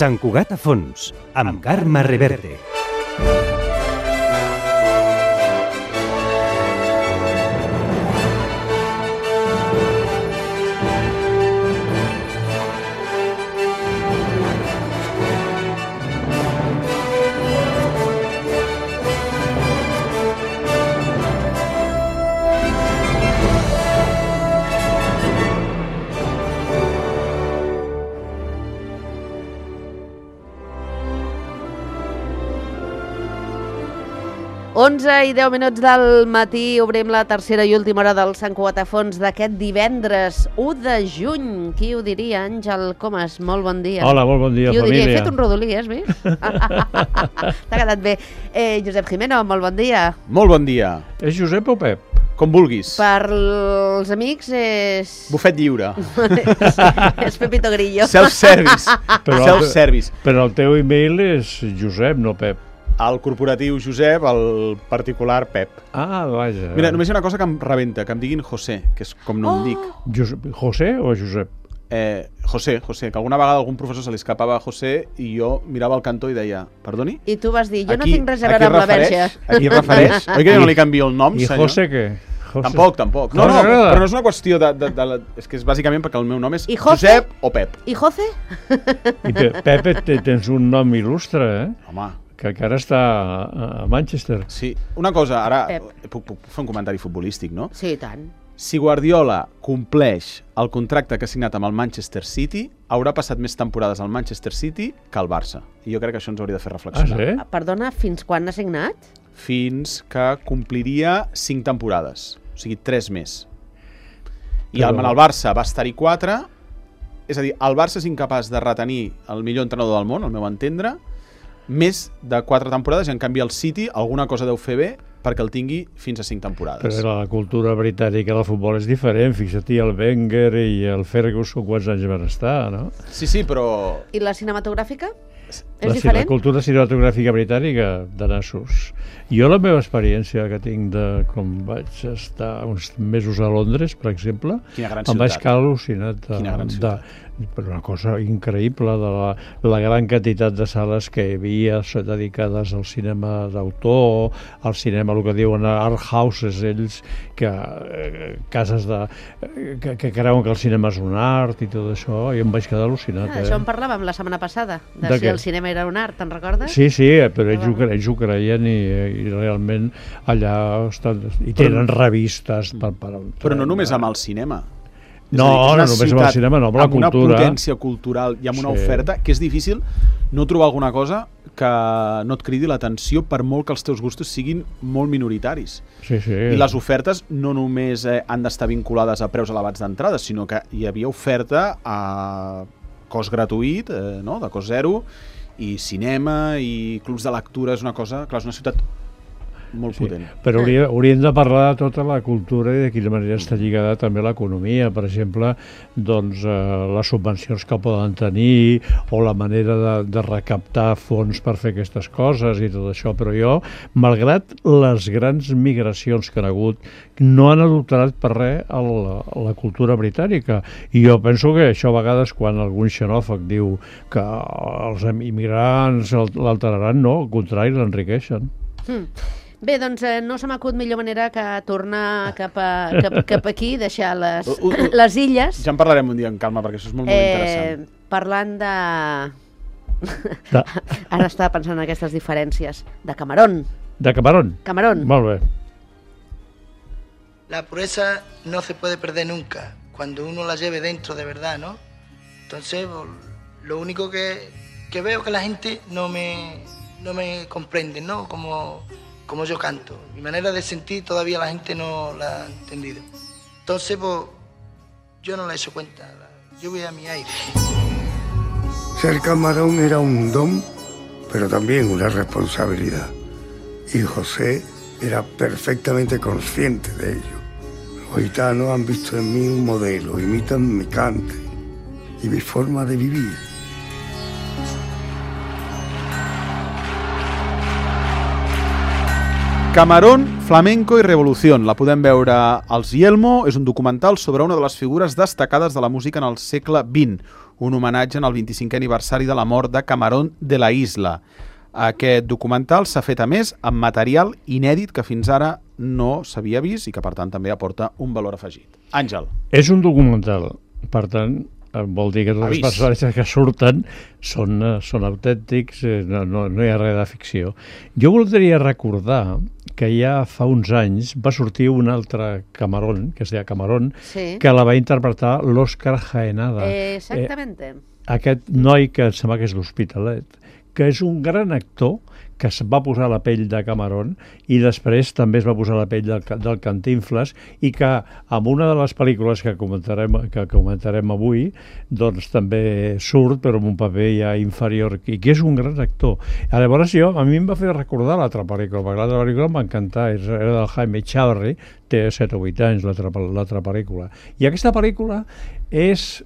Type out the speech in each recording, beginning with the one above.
Sant Cugat a fons, amb Carme Reverte. Onze i 10 minuts del matí, obrim la tercera i última hora del Sant Cugat a fons d'aquest divendres 1 de juny. Qui ho diria, Àngel Comas? Molt bon dia. Hola, molt bon dia, família. Qui ho diria? He fet un rodolí, has vist? T'ha quedat bé. Josep Jimeno, molt bon dia. Molt bon dia. És Josep o Pep? Com vulguis. Per els amics és... Bufet lliure. És Pepito Grillo. Self-service. Self-service. Però el teu e-mail és Josep, no Pep. El corporatiu Josep, el particular Pep. Ah, vaja. Mira, només hi ha una cosa que em rebenta, que em diguin José, que és com no em dic. José o Josep? José, que alguna vegada algun professor se li escapava a José i jo mirava al cantó i deia, perdoni? I tu vas dir, jo no tinc res a veure amb la Verge. A qui refereix? Oi que jo no li canvio el nom, senyor? I José què? Tampoc. No, però no és una qüestió de... És que és bàsicament perquè el meu nom és Josep o Pep. I José? I Pep, tens un nom il·lustre, eh? Home. Que encara està a Manchester. Sí. Una cosa, ara puc fer un comentari futbolístic, no? Sí, tant. Si Guardiola compleix el contracte que ha signat amb el Manchester City, haurà passat més temporades al Manchester City que al Barça. I jo crec que això ens hauria de fer reflexionar. Ah, sí? Perdona, fins quan ha signat? Fins que compliria 5 temporades. O sigui, 3 més. I el Barça va estar-hi 4. És a dir, el Barça és incapaç de retenir el millor entrenador del món, al meu entendre, més de 4 temporades, i en canvi el City alguna cosa deu fer bé perquè el tingui fins a 5 temporades. Però la cultura britànica del futbol és diferent. Fixa't, el Wenger i el Ferguson quants anys van estar, no? Sí, però... I la cinematogràfica? És diferent? La cultura cinematogràfica britànica, de nassos. Jo la meva experiència que tinc de com vaig estar uns mesos a Londres, per exemple, em vaig quedar al·lucinat per una cosa increïble de la gran quantitat de sales que hi havia dedicades al cinema d'autor, al cinema, el que diuen art houses, ells, cases que creuen que el cinema és un art i tot això, i em vaig quedar al·lucinat. Això en parlàvem la setmana passada, de si el cinema era un art, te'n recordes? Sí, però ells ho creien i realment allà estan, i tenen revistes per... Però no només amb el cinema. No només amb el cinema, no, amb la cultura. Amb una potència cultural i amb una oferta que és difícil no trobar alguna cosa que no et cridi l'atenció per molt que els teus gustos siguin molt minoritaris. Sí. I les ofertes no només han d'estar vinculades a preus elevats d'entrada, sinó que hi havia oferta a cost gratuït, de cost zero, i cinema i clubs de lectura. És una cosa, clar, és una ciutat molt potent. Però hauríem de parlar de tota la cultura i de quina manera està lligada també a l'economia. Per exemple, doncs, les subvencions que poden tenir o la manera de recaptar fons per fer aquestes coses i tot això. Però jo, malgrat les grans migracions que han hagut, no han adulterat per res a la cultura britànica. I jo penso que això a vegades quan algun xenòfob diu que els immigrants l'alteraran, no, al contrari, l'enriqueixen. Bé, doncs no se m'acut millor manera que tornar cap aquí, deixar les illes. Ja en parlarem un dia amb calma, perquè això és molt interessant. Parlant de... Ara estava pensant en aquestes diferències. De Camarón. De Camarón? Camarón. Molt bé. La pureza no se puede perder nunca, cuando uno la lleve dentro de verdad, ¿no? Entonces, lo único que veo que la gente no me comprende, ¿no? Como yo canto. Mi manera de sentir todavía la gente no la ha entendido. Entonces, pues, yo no le he hecho cuenta. Yo voy a mi aire. Ser Camarón era un don, pero también una responsabilidad. Y José era perfectamente consciente de ello. Los gitanos han visto en mí un modelo, imitan mi cante y mi forma de vivir. Camarón, flamenco i revolució. La podem veure als Yelmo. És un documental sobre una de les figures destacades de la música en el segle XX. un homenatge en el 25è aniversari de la mort de Camarón de la Isla. Aquest documental s'ha fet, a més, amb material inèdit que fins ara no s'havia vist i que, per tant, també aporta un valor afegit. Àngel. És un documental, per tant, vol dir que tots els personatges que surten són autèntics, no hi ha res de ficció. Jo voldria recordar que ja fa uns anys va sortir un altre Camarón, que es deia Camarón, Sí. que la va interpretar l'Òscar Jaenada. Exactamente. Aquest noi que em sembla que és l'Hospitalet, que és un gran actor que es va posar la pell de Camarón i després també es va posar la pell del Cantinflas i que en una de les pel·lícules que comentarem avui doncs també surt però amb un paper ja inferior i que és un gran actor. Llavors a mi em va fer recordar l'altra pel·lícula, perquè l'altra pel·lícula em va encantar, era del Jaime Chavarri, té 7 o 8 anys l'altra pel·lícula. I aquesta pel·lícula és...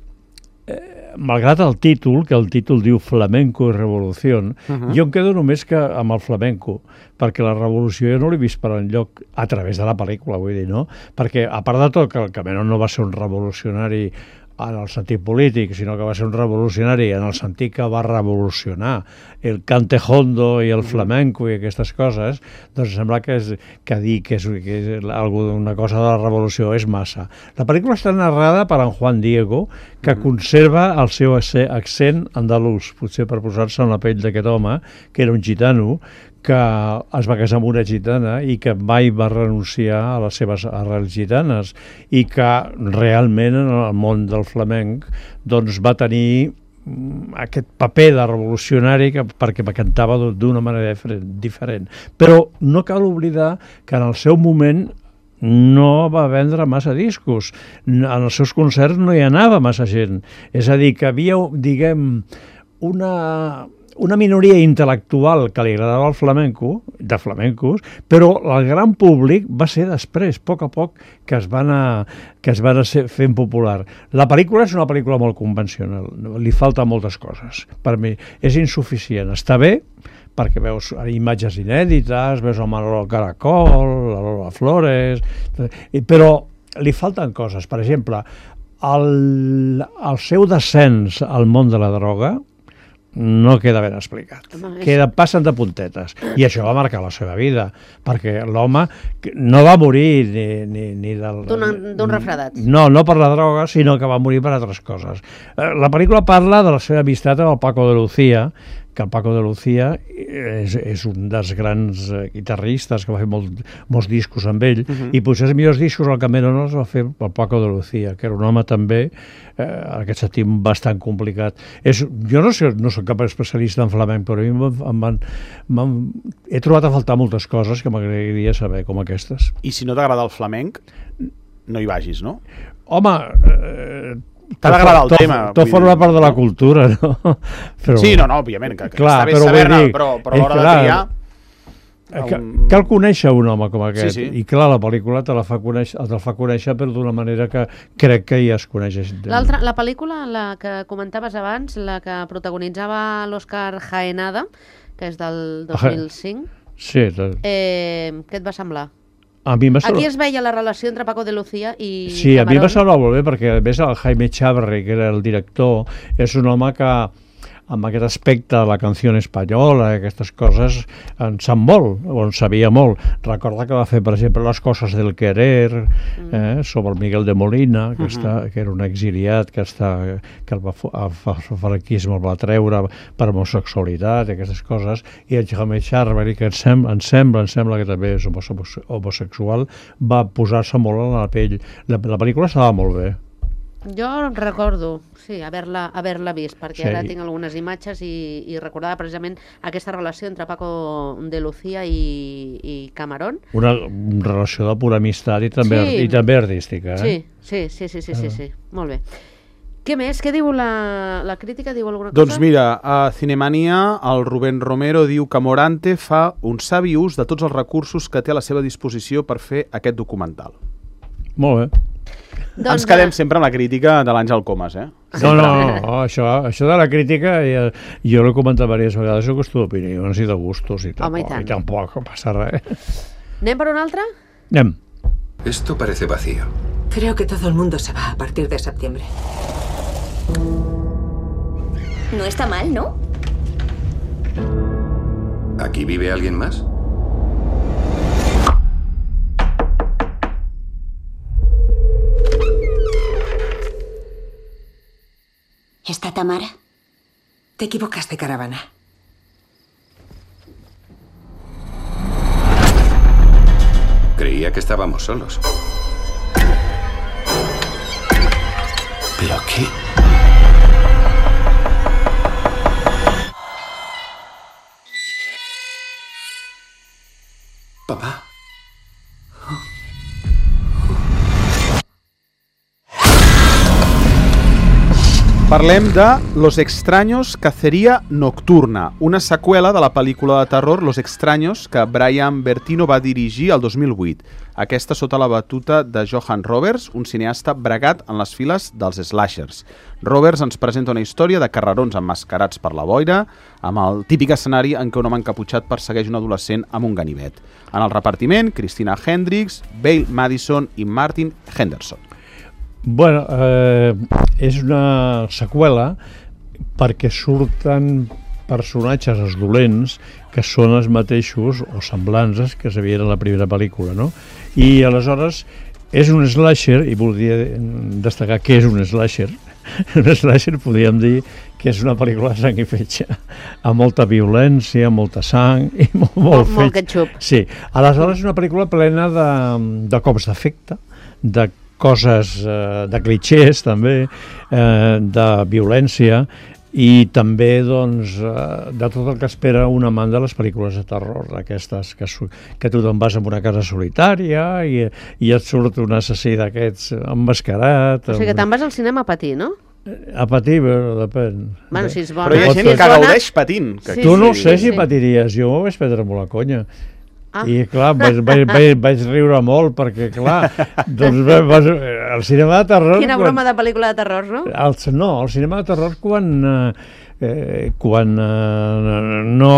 malgrat el títol, que el títol diu Flamenco i Revolució, jo em quedo només que amb el flamenco, perquè la revolució jo no l'he vist per enlloc a través de la pel·lícula, vull dir, no? Perquè, a part de tot, que el Camarón no va ser un revolucionari en el sentit polític, sinó que va ser un revolucionari en el sentit que va revolucionar el cantejondo i el flamenco i aquestes coses, doncs sembla que dir que és una cosa de la revolució és massa. La pel·lícula està narrada per en Juan Diego, que conserva el seu accent andalús, potser per posar-se en la pell d'aquest home, que era un gitano, que es va casar amb una gitana i que mai va renunciar a les seves arrels gitanes i que realment en el món del flamenc doncs va tenir aquest paper de revolucionari perquè cantava d'una manera diferent. Però no cal oblidar que en el seu moment no va vendre massa discos. En els seus concerts no hi anava massa gent. És a dir, que havia, diguem, una minoria intel·lectual que li agradava el flamenco, de flamencos, però el gran públic va ser després, a poc, que es va anar fent popular. La pel·lícula és una pel·lícula molt convencional, li falten moltes coses. Per mi és insuficient. Està bé, perquè veus imatges inèdites, veus el Manolo Caracol, la Lola Flores, però li falten coses. Per exemple, el seu descens al món de la droga no queda ben explicat. Passen de puntetes. I això va marcar la seva vida, perquè l'home no va morir ni d'un refredat. No per la droga, sinó que va morir per altres coses. La pel·lícula parla de la seva amistat amb el Paco de Lucía, que el Paco de Lucía és un dels grans guitarristes que va fer molts discos amb ell, i potser els millors discos el Camarón els va fer el Paco de Lucía, que era un home també, en aquest sentit, bastant complicat. Jo no soc cap especialista en flamenc, però a mi he trobat a faltar moltes coses que m'agradaria saber, com aquestes. I si no t'agrada el flamenc, no hi vagis, no? Home... T'ha d'agradar el tema. Tot forma part de la cultura, no? Però, sí, no, òbviament, que està bé saber-ne, però a l'hora de triar... Cal conèixer un home com aquest, sí. I clar, la pel·lícula te la fa conèixer però d'una manera que crec que ja es coneix. La pel·lícula, la que comentaves abans, la que protagonitzava l'Òscar Jaenada, que és del 2005, sí, què et va semblar? Aquí es veia la relació entre Paco de Lucía i Sí, Camarón. A mi em va semblar molt bé, perquè a més el Jaime Chavarri, que era el director, és un home que amb aquest aspecte de la canció espanyola, aquestes coses, en sap molt, o en sabia molt. Recorda que va fer, per exemple, Les coses del querer, sobre el Miguel de Molina, que era un exiliat que el franquisme el va treure per homosexualitat i aquestes coses, i el Jaime Chavarri, que em sembla que també és homosexual, va posar-se molt en la pell. La pel·lícula estava molt bé. Jo recordo, sí, haver-la vist, perquè ara tinc algunes imatges i recordava precisament aquesta relació entre Paco de Lucía i Camarón. Una relació de pura amistat i també artística. Sí, molt bé. Què més? Què diu la crítica? Diu alguna cosa? Doncs mira, a Cinemania el Rubén Romero diu que Morante fa un savi ús de tots els recursos que té a la seva disposició per fer aquest documental. Molt bé. Ens quedem sempre amb la crítica de l'Àngel Comas, eh? No, això de la crítica jo l'he comentat diverses vegades, és qüestió d'opinions i de gustos i tampoc passa res. ¿Anem per una altra? Anem. Esto parece vacío. Creo que todo el mundo se va a partir de septiembre. No está mal, ¿no? ¿Aquí vive alguien más? ¿Está Tamara? Te equivocaste, caravana. Creía que estábamos solos. ¿Pero qué? Papá. Parlem de Los extraños cacería nocturna, una seqüela de la pel·lícula de terror Los extraños que Brian Bertino va dirigir el 2008. Aquesta sota la batuta de Johan Roberts, un cineasta bregat en les files dels slashers. Roberts ens presenta una història de carrerons emmascarats per la boira, amb el típic escenari en què un home encaputxat persegueix un adolescent amb un ganivet. En el repartiment, Christina Hendricks, Bale Madison i Martin Henderson. Bueno, és una seqüela perquè surten personatges, els dolents, que són els mateixos o semblances que s'havien a la primera pel·lícula, no? I aleshores és un slasher, i voldria destacar què és un slasher. Un slasher podríem dir que és una pel·lícula de sang i fetge, amb molta violència, molta sang i molt ketchup. Sí, aleshores és una pel·lícula plena de cops d'efecte, de coses, de clichés també, de violència i també doncs, de tot el que espera un amant de les pel·lícules de terror, d'aquestes que tu te'n vas a una casa solitària i et surt un assassí d'aquests emmascarat. O sigui que te'n vas al cinema a patir, no? A patir, però depèn. Bueno, si és bona. Però hi ha gent que gaudeix patint. Tu no sé si patiries, jo m'ho vaig prendre molt a conya. I clar, vaig riure molt perquè clar, doncs el cinema de terror... Quina broma de pel·lícula de terror, no? No, el cinema de terror quan no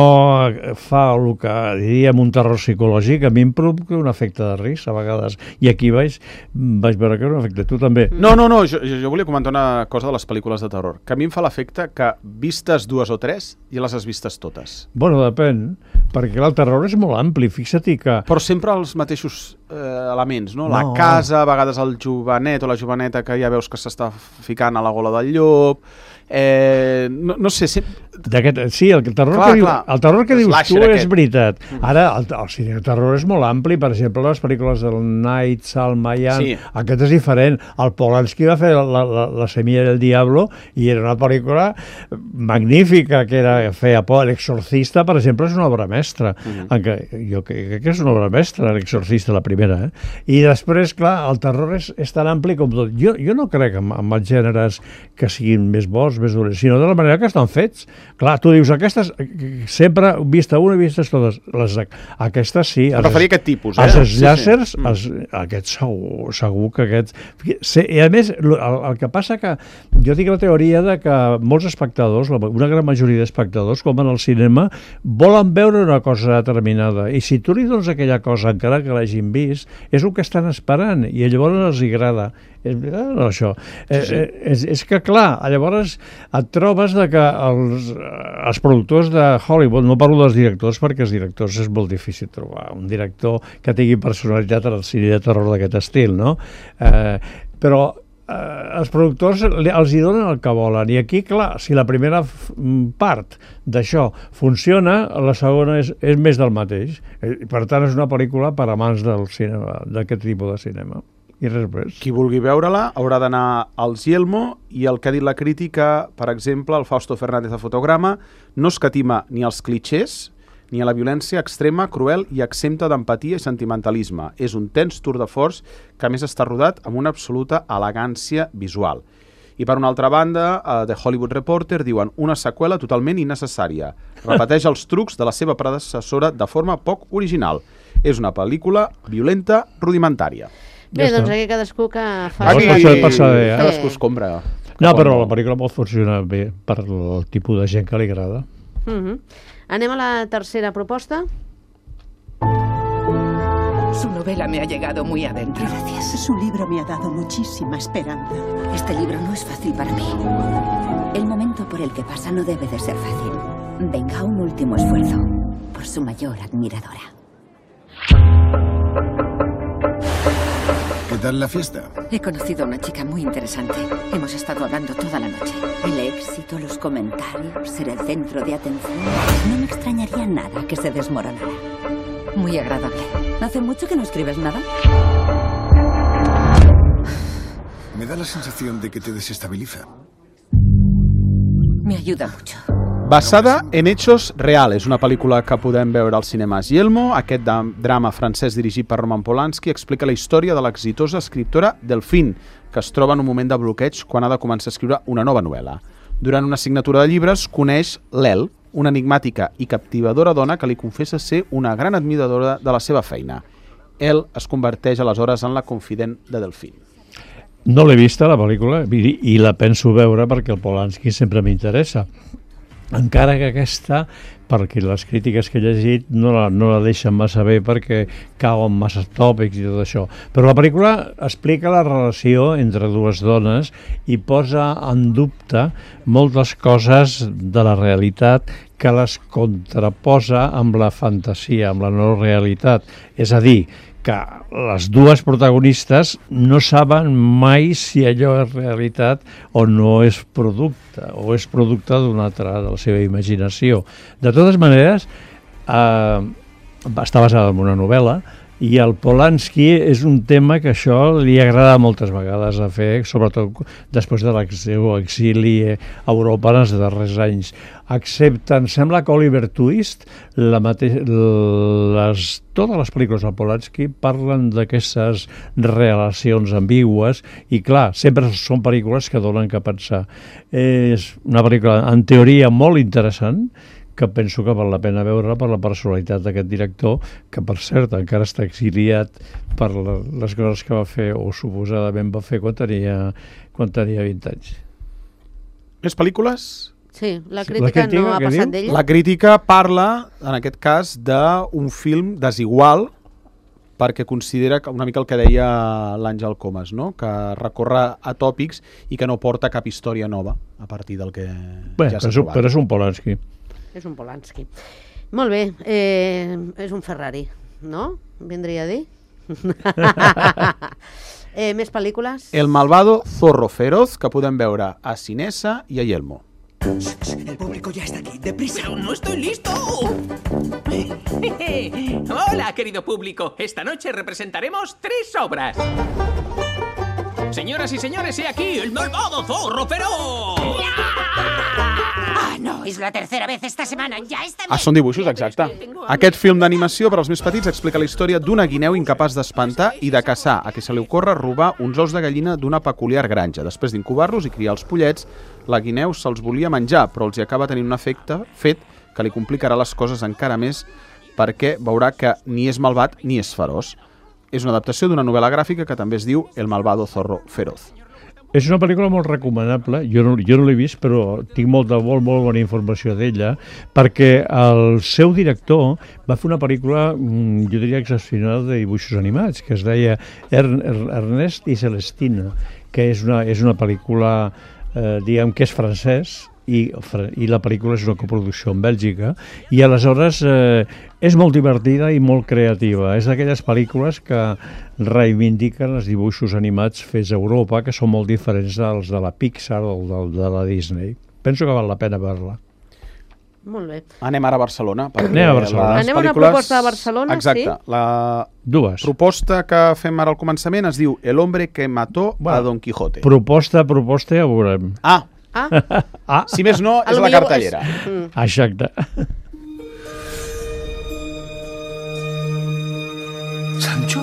fa el que diríem un terror psicològic, a mi em provoca un efecte de risc a vegades, i aquí vaig veure que era un efecte. Tu també? No, jo volia comentar una cosa de les pel·lícules de terror, que a mi em fa l'efecte que vistes 2 o 3 ja les has vistes totes. Bueno, depèn, perquè el terror és molt ampli, fixa't que... Però sempre els mateixos elements, no? La casa, a vegades el jovenet o la joveneta que ja veus que s'està ficant a la gola del llop... no sé... Sí, el terror que dius tu és veritat. Ara, el cinema de terror és molt ampli. Per exemple, les pel·lícules del Night Shyamalan, aquest és diferent. El Polanski va fer la Semilla del Diablo i era una pel·lícula magnífica, que feia por. L'Exorcista, per exemple, és una obra mestra. Jo crec que és una obra mestra, l'Exorcista, la primera. I després, clar, el terror és tan ampli com tot. Jo no crec en els gèneres que siguin més bons, més dolents, sinó de la manera que estan fets. Clar, tu dius, aquestes sempre vista una i vistes totes. Aquestes sí. Preferia aquest tipus, Els slashers, aquests segur que aquests... I a més, el que passa que jo tinc la teoria de que molts espectadors, una gran majoria d'espectadors, com en el cinema, volen veure una cosa determinada. I si tu li dones aquella cosa, encara que l'hagin vist, és el que estan esperant i llavors els agrada. És veritat, no, això? És que, clar, llavors et trobes que els productors de Hollywood, no parlo dels directors perquè els directors és molt difícil trobar un director que tingui personalitat en el cine de terror d'aquest estil, no? Però els productors els hi donen el que volen i aquí, clar, si la primera part d'això funciona, la segona és més del mateix. Per tant, és una pel·lícula per amants del cinema, d'aquest tipus de cinema. I res més. Qui vulgui veure-la haurà d'anar als Yelmo i el que ha dit la crítica, per exemple, el Fausto Fernández de Fotograma, no escatima ni els clichés ni a la violència extrema, cruel i exempta d'empatia i sentimentalisme. És un tens tour de force que a més està rodat amb una absoluta elegància visual. I per una altra banda, The Hollywood Reporter diuen una seqüela totalment innecessària. Repeteix els trucs de la seva predecessora de forma poc original. És una pel·lícula violenta rudimentària. Bé, doncs aquí cadascú que fa... Cadascú es compra. No, però la pel·lícula pot funcionar bé per el tipus de gent que li agrada. Anem a la tercera proposta. Su novela me ha llegado muy adentro. Gracias. Su libro me ha dado muchísima esperanza. Este libro no es fácil para mí. El momento por el que pasa no debe de ser fácil. Venga, un último esfuerzo por su mayor admiradora. ¿Qué tal la fiesta? He conocido a una chica muy interesante. Hemos estado hablando toda la noche. El éxito, los comentarios, ser el centro de atención. No me extrañaría nada que se desmoronara. Muy agradable. ¿Hace mucho que no escribes nada? Me da la sensación de que te desestabiliza. Me ayuda mucho. Basada en hechos reals, una pel·lícula que podem veure als cinemes Yelmo. Aquest drama francès dirigit per Roman Polanski explica la història de l'exitosa escriptora Delphine, que es troba en un moment de bloqueig quan ha de començar a escriure una nova novel·la. Durant una signatura de llibres coneix l'El, una enigmàtica i captivadora dona que li confessa ser una gran admiradora de la seva feina. El es converteix aleshores en la confident de Delphine. No l'he vista, la pel·lícula, i la penso veure perquè el Polanski sempre m'interessa. Encara que aquesta, perquè les crítiques que he llegit no la deixen massa bé perquè cauen massa tòpics i tot això. Però la pel·lícula explica la relació entre dues dones i posa en dubte moltes coses de la realitat que les contraposa amb la fantasia, amb la no realitat. És a dir, que les dues protagonistes no saben mai si allò és realitat o no és producte, o és producte d'una altra, de la seva imaginació. De totes maneres, està basada en una novel·la, i el Polanski és un tema que això li agrada moltes vegades a fer, sobretot després de seu exili a Europa en els darrers anys. Excepte, em sembla que Oliver Twist, totes les pel·lícules del Polanski parlen d'aquestes relacions ambigües i, clar, sempre són pel·lícules que donen que pensar. És una pel·lícula, en teoria, molt interessant, que penso que val la pena veure per la personalitat d'aquest director, que, per cert, encara està exiliat per les coses que va fer, o suposadament va fer quan tenia 20 anys. Sí, Més pel·lícules? la crítica no ha passat d'ella. La crítica parla, en aquest cas, d'un film desigual, perquè considera una mica el que deia l'Àngel Comas, no? Que recorre a tòpics i que no porta cap història nova a partir del que ja s'ha trobat. Però és un Polanski. És un Polanski. Molt bé, és un Ferrari, no? Vindria a dir? Més pel·lícules? El malvado Zorro Feroz, que podem veure a Cinesa i a Yelmo. El público ya está aquí, deprisa. ¡Pero no estoy listo! Hola, querido público. Esta noche representaremos 3 obras. Señoras y señores, he aquí el malvado Zorro Feroz. Ah, no, és la tercera vez esta setmana, ja està bé. Són dibuixos, exacte. Aquest film d'animació per als més petits explica la història d'una guineu incapaç d'espantar i de caçar, a qui se li ocorre robar uns ous de gallina d'una peculiar granja. Després d'incubar-los i criar els pollets, la guineu se'ls volia menjar, però els hi acaba tenint un efecte fet que li complicarà les coses encara més perquè veurà que ni és malvat ni és feroç. És una adaptació d'una novel·la gràfica que també es diu El malvado Zorro Feroz. És una pel·lícula molt recomanable, jo no l'he vist, però tinc molt bona informació d'ella, perquè el seu director va fer una pel·lícula, jo diria excepcional, de dibuixos animats, que es deia Ernest i Celestina, que és una pel·lícula, diguem que és francès, i la pel·lícula és una coproducció en Bèlgica, i aleshores és molt divertida i molt creativa. És d'aquelles pel·lícules que reivindiquen els dibuixos animats fets a Europa, que són molt diferents dels de la Pixar o de la Disney. Penso que val la pena veure-la. Molt bé. Anem ara a Barcelona. Anem a Barcelona. Anem a una proposta de Barcelona, exacte. sí? La proposta que fem ara al començament es diu El hombre que mató a Don Quijote. Proposta, ja ho veurem. Si més no, és la cartellera. Exacte. ¿Sancho?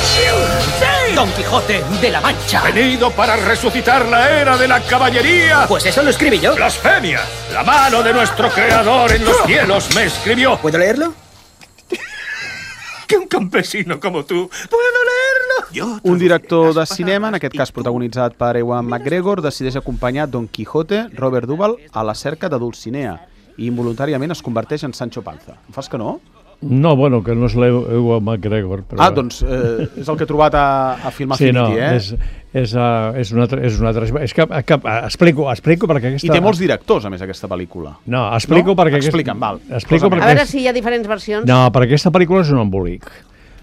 ¡Sí! ¡Don Quijote de la Mancha! Venido para resucitar la era de la caballería. Pues eso lo escribí yo. ¡Blasfemia! La mano de nuestro creador en los cielos me escribió. ¿Puedo leerlo? Que un campesino como tú puedo leerlo. Un director de cinema, en aquest cas protagonitzat per Ewan McGregor, decideix acompanyar Don Quijote, Robert Duvall, a la cerca de Dulcinea i involuntàriament es converteix en Sancho Panza. Em fas que no? No, bueno, que no és l'Ewan McGregor. Però... Doncs és el que he trobat a Film Affinity, és una altra... És que explico perquè aquesta... I té molts directors, a més, aquesta pel·lícula. No, explico perquè... Explica'm, val. A veure si hi ha diferents versions. No, perquè aquesta pel·lícula és un embolic.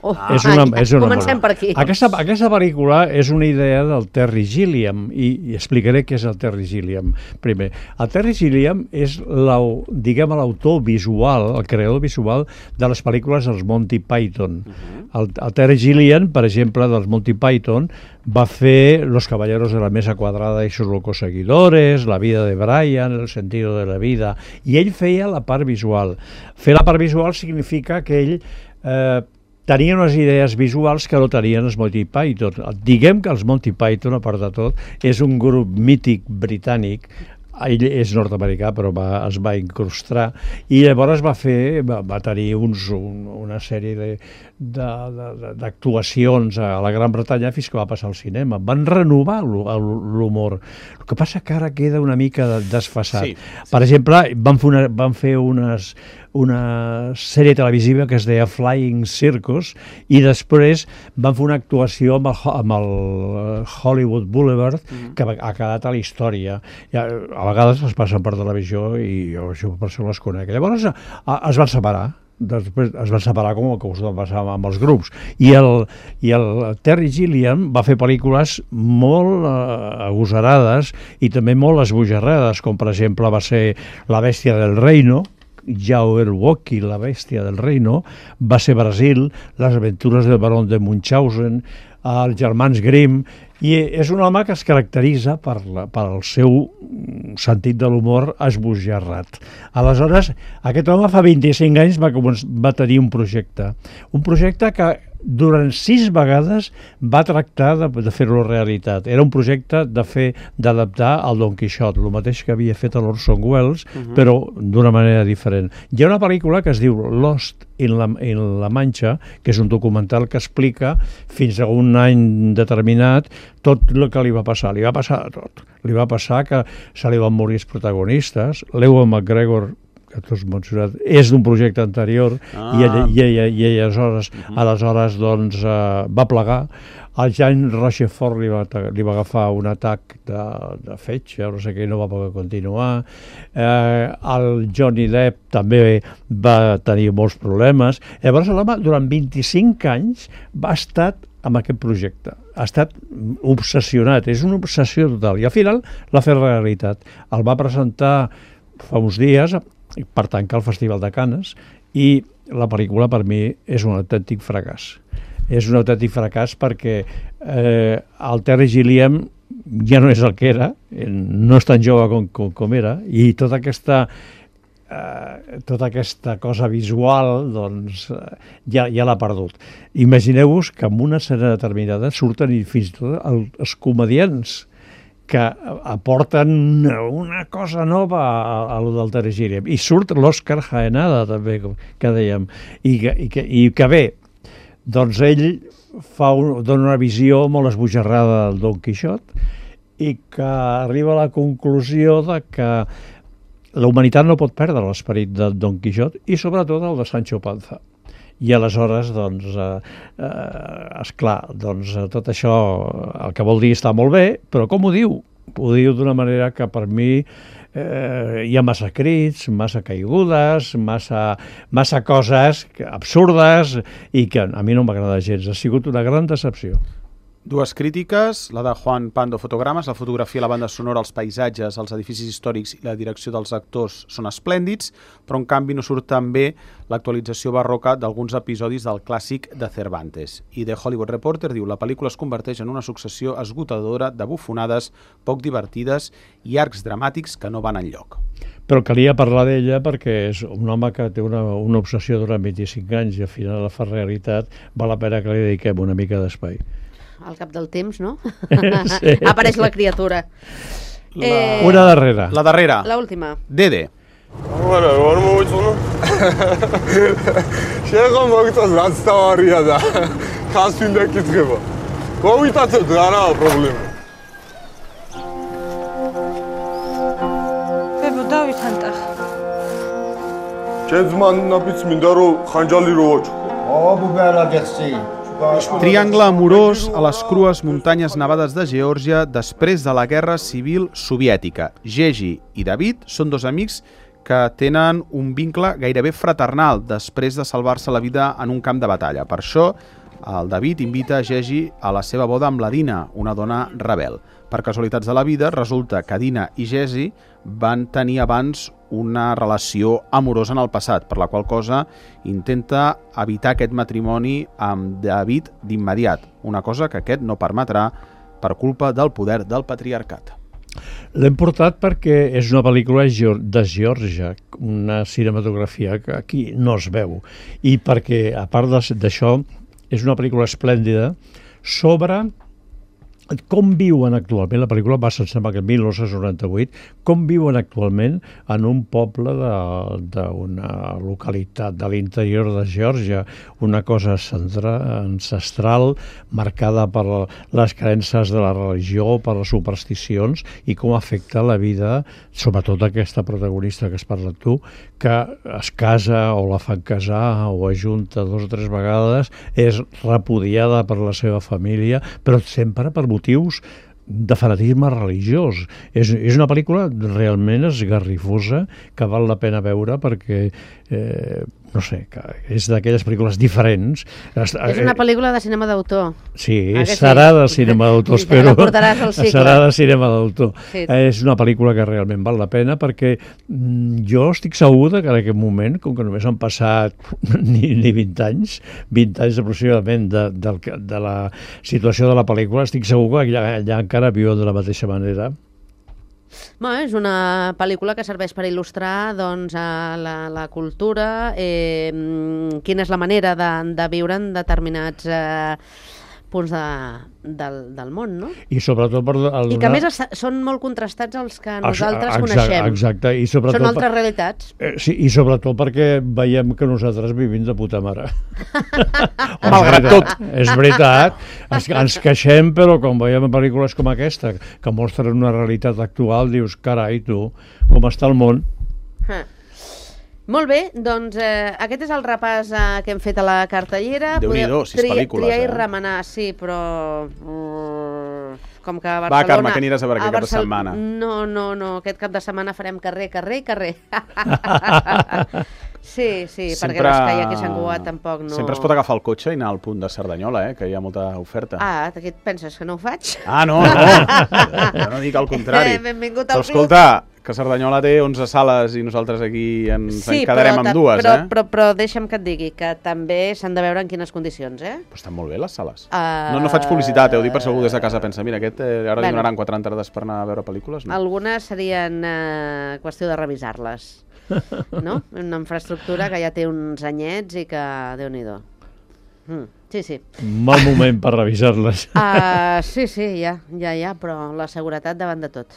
Comencem per aquí. Aquesta pel·lícula és una idea del Terry Gilliam i explicaré què és el Terry Gilliam. Primer, el Terry Gilliam és l'autor visual, el creador visual de les pel·lícules dels Monty Python. El Terry Gilliam, per exemple, dels Monty Python, va fer Los Caballeros de la Mesa Quadrada y sus locos seguidores, La vida de Brian, El sentido de la vida, i ell feia la part visual. Fer la part visual significa que ell tenien unes idees visuals que no tenien els Monty Python. Diguem que els Monty Python, a part de tot, és un grup mític britànic, ell és nord-americà però es va incrustar i llavors va tenir una sèrie d'actuacions a la Gran Bretanya fins que va passar al cinema. Van renovar l'humor. El que passa que ara queda una mica desfasat. Per exemple, van fer una sèrie televisiva que es deia Flying Circus i després van fer una actuació amb el Hollywood Boulevard que ha quedat a la història. A vegades es passen per televisió i jo per això les conec. Llavors es van separar. Després es van separar com el que us va passar amb els grups. I el Terry Gilliam va fer pel·lícules molt agosarades i també molt esbojarrades, com per exemple va ser La bèstia del reino, Jauerwoki, La bèstia del reino, va ser Brasil, Les aventures del barón de Munchausen, els germans Grimm, i és un home que es caracteritza pel seu sentit de l'humor esbojarrat. Aleshores, aquest home fa 25 anys va tenir un projecte que durant 6 vegades va tractar de fer-lo realitat. Era un projecte d'adaptar el Don Quixot, el mateix que havia fet l'Orson Welles, però d'una manera diferent. Hi ha una pel·lícula que es diu Lost in la Mancha, que és un documental que explica fins a un any determinat tot el que li va passar. Li va passar tot. Li va passar que se li van morir els protagonistes. L'Ewan McGregor, que tu has mencionat, és d'un projecte anterior i aleshores doncs, va plegar. El Jean Rochefort li va agafar un atac de fetge, no sé què, no va poder continuar. El Johnny Depp també va tenir molts problemes. Llavors l'home durant 25 anys va estar amb aquest projecte. Ha estat obsessionat, és una obsessió total. I al final l'ha fet realitat. El va presentar fa uns dies per tancar el Festival de Canes i la pel·lícula per mi és un autèntic fracàs. És un autèntic fracàs perquè el Terry Gilliam ja no és el que era, no és tan jove com era, i tota aquesta cosa visual doncs, ja l'ha perdut. Imagineu-vos que en una escena determinada surten fins i tot els comediants que aporten una cosa nova a lo del Terry Gilliam. I surt l'Òscar Jaenada també, que dèiem, i que bé, doncs ell dona una visió molt esbojarrada del Don Quixot i que arriba a la conclusió de que la humanitat no pot perdre l'esperit de Don Quixot i sobretot el de Sancho Panza. I aleshores, doncs, esclar, doncs, tot això el que vol dir està molt bé, però com ho diu? Ho diu d'una manera que per mi hi ha massa crits, massa caigudes, massa coses absurdes i que a mi no m'agrada gens. Ha sigut una gran decepció. Dues crítiques, la de Juan Pando Fotogrames, la fotografia, la banda sonora, els paisatges, els edificis històrics i la direcció dels actors són esplèndids, però en canvi no surt també l'actualització barroca d'alguns episodis del clàssic de Cervantes. I The Hollywood Reporter diu: la pel·lícula es converteix en una successió esgotadora de bufonades poc divertides i arcs dramàtics que no van enlloc. Però calia parlar d'ella perquè és un home que té una obsessió durant 25 anys i al final la fa realitat, val la pena que li dediquem una mica d'espai. Al cap del temps, no? Sí. Apareix la criatura. Una darrera. La darrera. L'última. Dede. Voilà, var mı o sonu? Şaka bakta zasta var ya da. Kasındaki treba. Kovita se dana problem. Bebo, David hantah. კერძმანნა პიც მინდა რომ ხანჯალი რო ვაჭქო. Triangle amorós a les crues muntanyes nevades de Geòrgia després de la Guerra Civil Soviètica. Gegi i David són dos amics que tenen un vincle gairebé fraternal després de salvar-se la vida en un camp de batalla. Per això, el David invita Gegi a la seva boda amb la Dina, una dona rebel. Per casualitats de la vida, resulta que Dina i Gegi van tenir abans una relació amorosa en el passat, per la qual cosa intenta evitar aquest matrimoni amb David d'immediat, una cosa que aquest no permetrà per culpa del poder del patriarcat. L'hem portat perquè és una pel·lícula de Geòrgia, una cinematografia que aquí no es veu, i perquè, a part d'això, és una pel·lícula esplèndida sobre com viuen actualment, la pel·lícula va ser, sembla que 1998, com viuen actualment en un poble d'una localitat de l'interior de Geòrgia, una cosa ancestral, marcada per les creences de la religió, per les supersticions, i com afecta la vida, sobretot aquesta protagonista que has parlat tu, que es casa o la fan casar o ajunta 2 o 3 vegades, és repudiada per la seva família, però sempre per motius de fanatisme religiós. És una pel·lícula realment esgarrifosa que val la pena veure perquè, no sé, que és d'aquelles pel·lícules diferents. És una pel·lícula de cinema d'autor. Sí, serà de cinema d'autor, espero. Serà de cinema d'autor. És una pel·lícula que realment val la pena perquè jo estic segur que en aquest moment, com que només han passat ni 20 anys aproximadament de la situació de la pel·lícula, estic segur que allà encara viuen de la mateixa manera. Bueno, és una pel·lícula que serveix per il·lustrar doncs, la cultura, quina és la manera de viure en determinats punts del món, no? I sobretot per I que a més són molt contrastats els que nosaltres coneixem. Exacte. I sobretot, són altres realitats. Sí, i sobretot perquè veiem que nosaltres vivim de puta mare. Malgrat tot. És veritat. Ens queixem, però quan veiem pel·lícules com aquesta, que mostren una realitat actual, dius, carai, tu, com està el món? Molt bé, doncs aquest és el repàs que hem fet a la cartellera. Déu-n'hi-do, 6 pel·lícules. Triar i remenar, sí, però com que a Barcelona... Va, Carme, que aniràs a veure aquest cap de setmana? No, aquest cap de setmana farem carrer. Sí, perquè les que hi ha aquí a Sant Cugat tampoc no... Sempre es pot agafar el cotxe i anar al punt de Cerdanyola, que hi ha molta oferta. Ah, què et penses, que no ho faig? Ah, no, jo no dic el contrari. Benvingut al club. Però escolta, que Cerdanyola té 11 sales i nosaltres aquí ens en quedarem amb 2, però deixa'm que et digui que també s'han de veure en quines condicions, Però estan molt bé les sales. No faig publicitat, ho dic per segur des de casa, pensa, mira, aquest ara li donaran 4 entrades per anar a veure pel·lícules, no? Algunes serien qüestió de revisar-les, no? Una infraestructura que ja té uns anyets i que, Déu-n'hi-do. Sí. Mal moment per revisar-les. Sí, ja, però la seguretat davant de tot.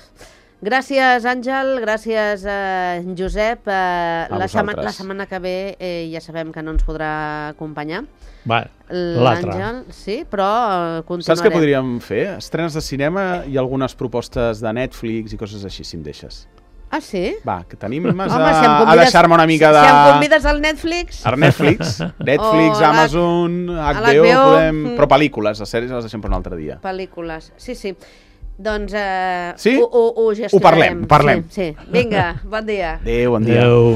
Gràcies, Àngel, gràcies, Josep. La setmana que ve ja sabem que no ens podrà acompanyar. L'Àngel, sí, però continuarem. Saps què podríem fer? Estrenes de cinema i algunes propostes de Netflix i coses així, si em deixes. Ah, sí? Va, que tenim a deixar-me una mica de... Si em convides al Netflix... Al Netflix, Amazon, HBO, podem... Però pel·lícules, les sèries les deixem per un altre dia. Pel·lícules, sí. Doncs sí? ho gestionarem. Ho parlem. Sí. Vinga, bon dia. Adéu, bon dia. Adéu.